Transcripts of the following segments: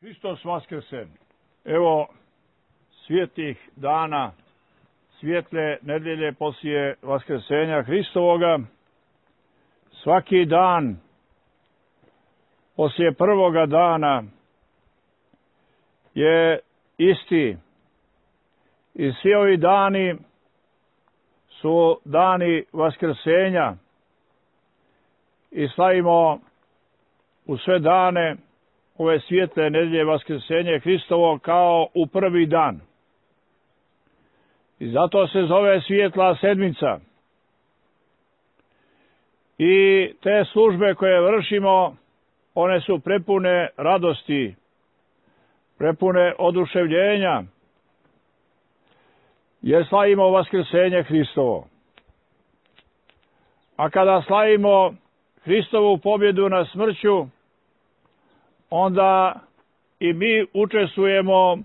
Hristos vaskrse. Evo svijetlih dana, svijetle nedelje poslije vaskrsenja Hristovoga. Svaki dan poslije prvoga dana je isti. I svi ovi dani su dani vaskrsenja i slavimo u sve dane ove svijetle nedelje vaskrsenje Hristovo kao u prvi dan. I zato se zove svijetla sedmica. I te službe koje vršimo, one su prepune radosti, prepune oduševljenja, jer slavimo vaskrsenje Hristovo. A kada slavimo Hristovu pobjedu nad smrću, onda i mi učestvujemo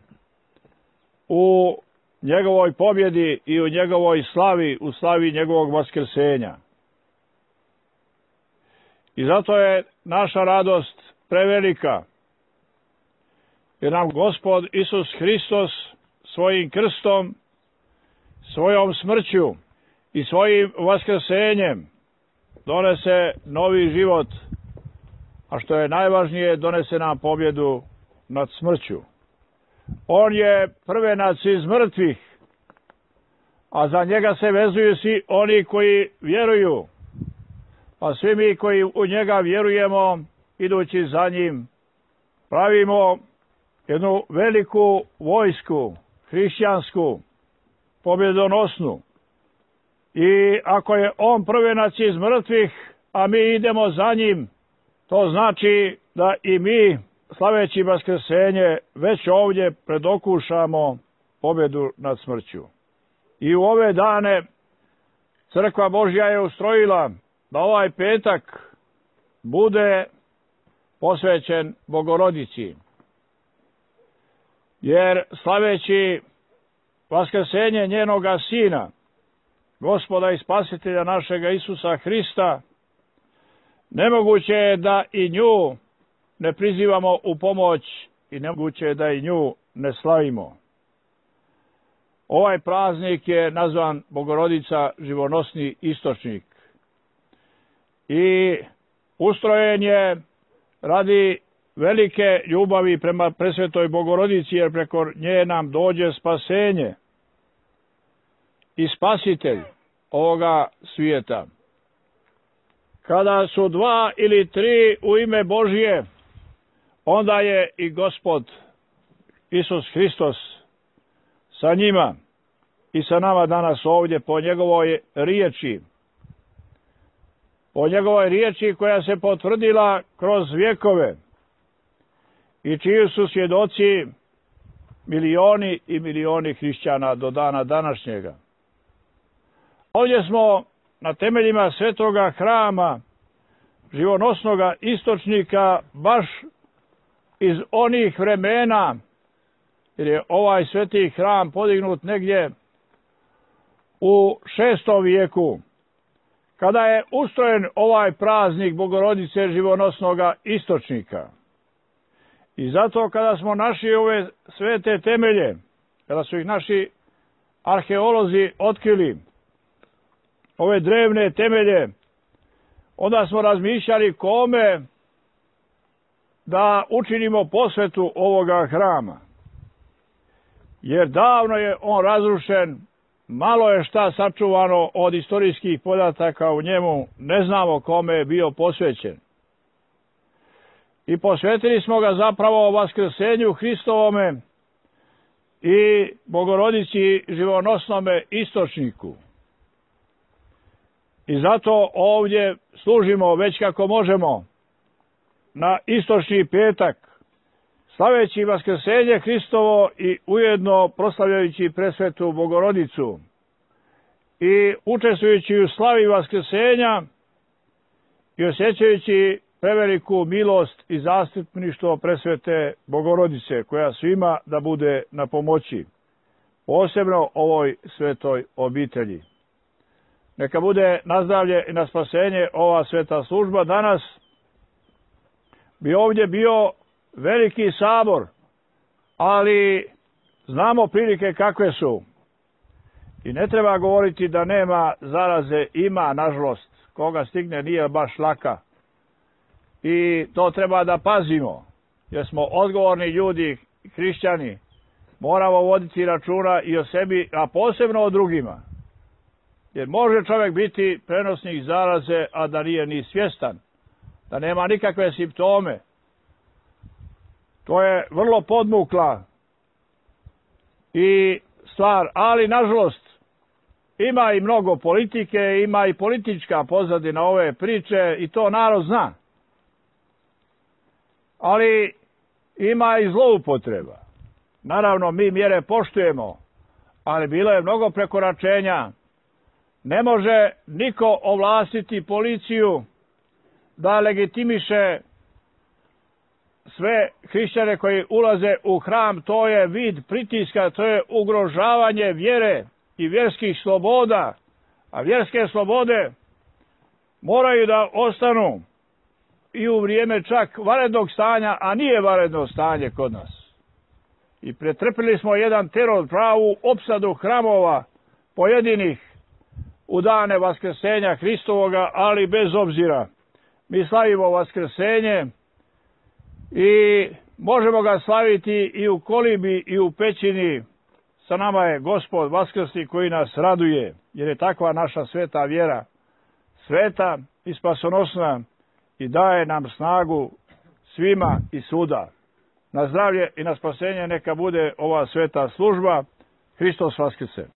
u njegovoj pobjedi i u njegovoj slavi, u slavi njegovog vaskrsenja. I zato je naša radost prevelika, jer nam Gospod Isus Hristos svojim krstom, svojom smrću i svojim vaskrsenjem donese novi život, a što je najvažnije, donese nam pobjedu nad smrću. On je prvenac iz mrtvih, a za njega se vezuju svi oni koji vjeruju. Pa svi mi koji u njega vjerujemo, idući za njim, pravimo jednu veliku vojsku, hrišćansku, pobjedonosnu. I ako je on prvenac iz mrtvih, a mi idemo za njim, to znači da i mi, slaveći vaskrsenje, već ovdje predokušamo pobjedu nad smrću. I u ove dane Crkva Božja je ustrojila da ovaj petak bude posvećen Bogorodici. Jer slaveći vaskrsenje njenoga Sina, Gospoda i Spasitelja našega Isusa Hrista, nemoguće je da i nju ne prizivamo u pomoć i nemoguće je da i nju ne slavimo. Ovaj praznik je nazvan Bogorodica živonosni istočnik. I ustrojen je radi velike ljubavi prema presvetoj Bogorodici, jer preko nje nam dođe spasenje i spasitelj ovoga svijeta. Kada su dva ili tri u ime Božje, onda je i Gospod Isus Hristos sa njima i sa nama danas ovdje po njegovoj riječi. Po njegovoj riječi koja se potvrdila kroz vjekove i čiji su svjedoci milioni i milioni hrišćana do dana današnjega. Ovdje smo na temeljima svetoga hrama, živonosnoga istočnika, baš iz onih vremena, jer je ovaj sveti hram podignut negdje u 6. vijeku, kada je ustrojen ovaj praznik Bogorodice živonosnoga istočnika. I zato kada smo našli ove svete temelje, kada su ih naši arheolozi otkrili, ove drevne temelje, onda smo razmišljali kome da učinimo posvetu ovoga hrama. Jer davno je on razrušen, malo je šta sačuvano od istorijskih podataka u njemu, ne znamo kome je bio posvećen. I posvetili smo ga zapravo vaskrsenju Hristovome i Bogorodici živonosnome istočniku. I zato ovdje služimo već kako možemo na istočni petak, slaveći vaskrsenje Hristovo i ujedno proslavljajući presvetu Bogorodicu i učestvujući u slavi vaskrsenja i osjećajući preveliku milost i zastupništvo presvete Bogorodice, koja svima da bude na pomoći, posebno ovoj svetoj obitelji. Neka bude na zdravlje i na spasenje ova sveta služba. Danas bi ovdje bio veliki sabor, ali znamo prilike kakve su. I ne treba govoriti da nema zaraze, ima, nažalost. Koga stigne nije baš laka. I to treba da pazimo, jer smo odgovorni ljudi, hrišćani. Moramo voditi računa i o sebi, a posebno o drugima. Jer može čovjek biti prenosnik zaraze, a da nije ni svjestan, da nema nikakve simptome. To je vrlo podmukla i stvar, ali nažalost ima i mnogo politike, ima i politička pozadina ove priče i to narod zna. Ali ima i zloupotreba. Naravno, mi mjere poštujemo, ali bilo je mnogo prekoračenja. Ne može niko ovlastiti policiju da legitimiše sve hrišćane koji ulaze u hram. To je vid pritiska, to je ugrožavanje vjere i vjerskih sloboda. A vjerske slobode moraju da ostanu i u vrijeme čak vanrednog stanja, a nije vanredno stanje kod nas. I pretrpili smo jedan teror, pravu opsadu hramova pojedinih u dane Vaskrsenja Hristovoga, ali bez obzira. Mi slavimo Vaskrsenje i možemo ga slaviti i u kolibi i u pećini. Sa nama je Gospod Vaskrsni koji nas raduje, jer je takva naša sveta vjera. Sveta i spasonosna i daje nam snagu svima i svuda. Na zdravlje i na spasenje neka bude ova sveta služba. Hristos Vaskrse.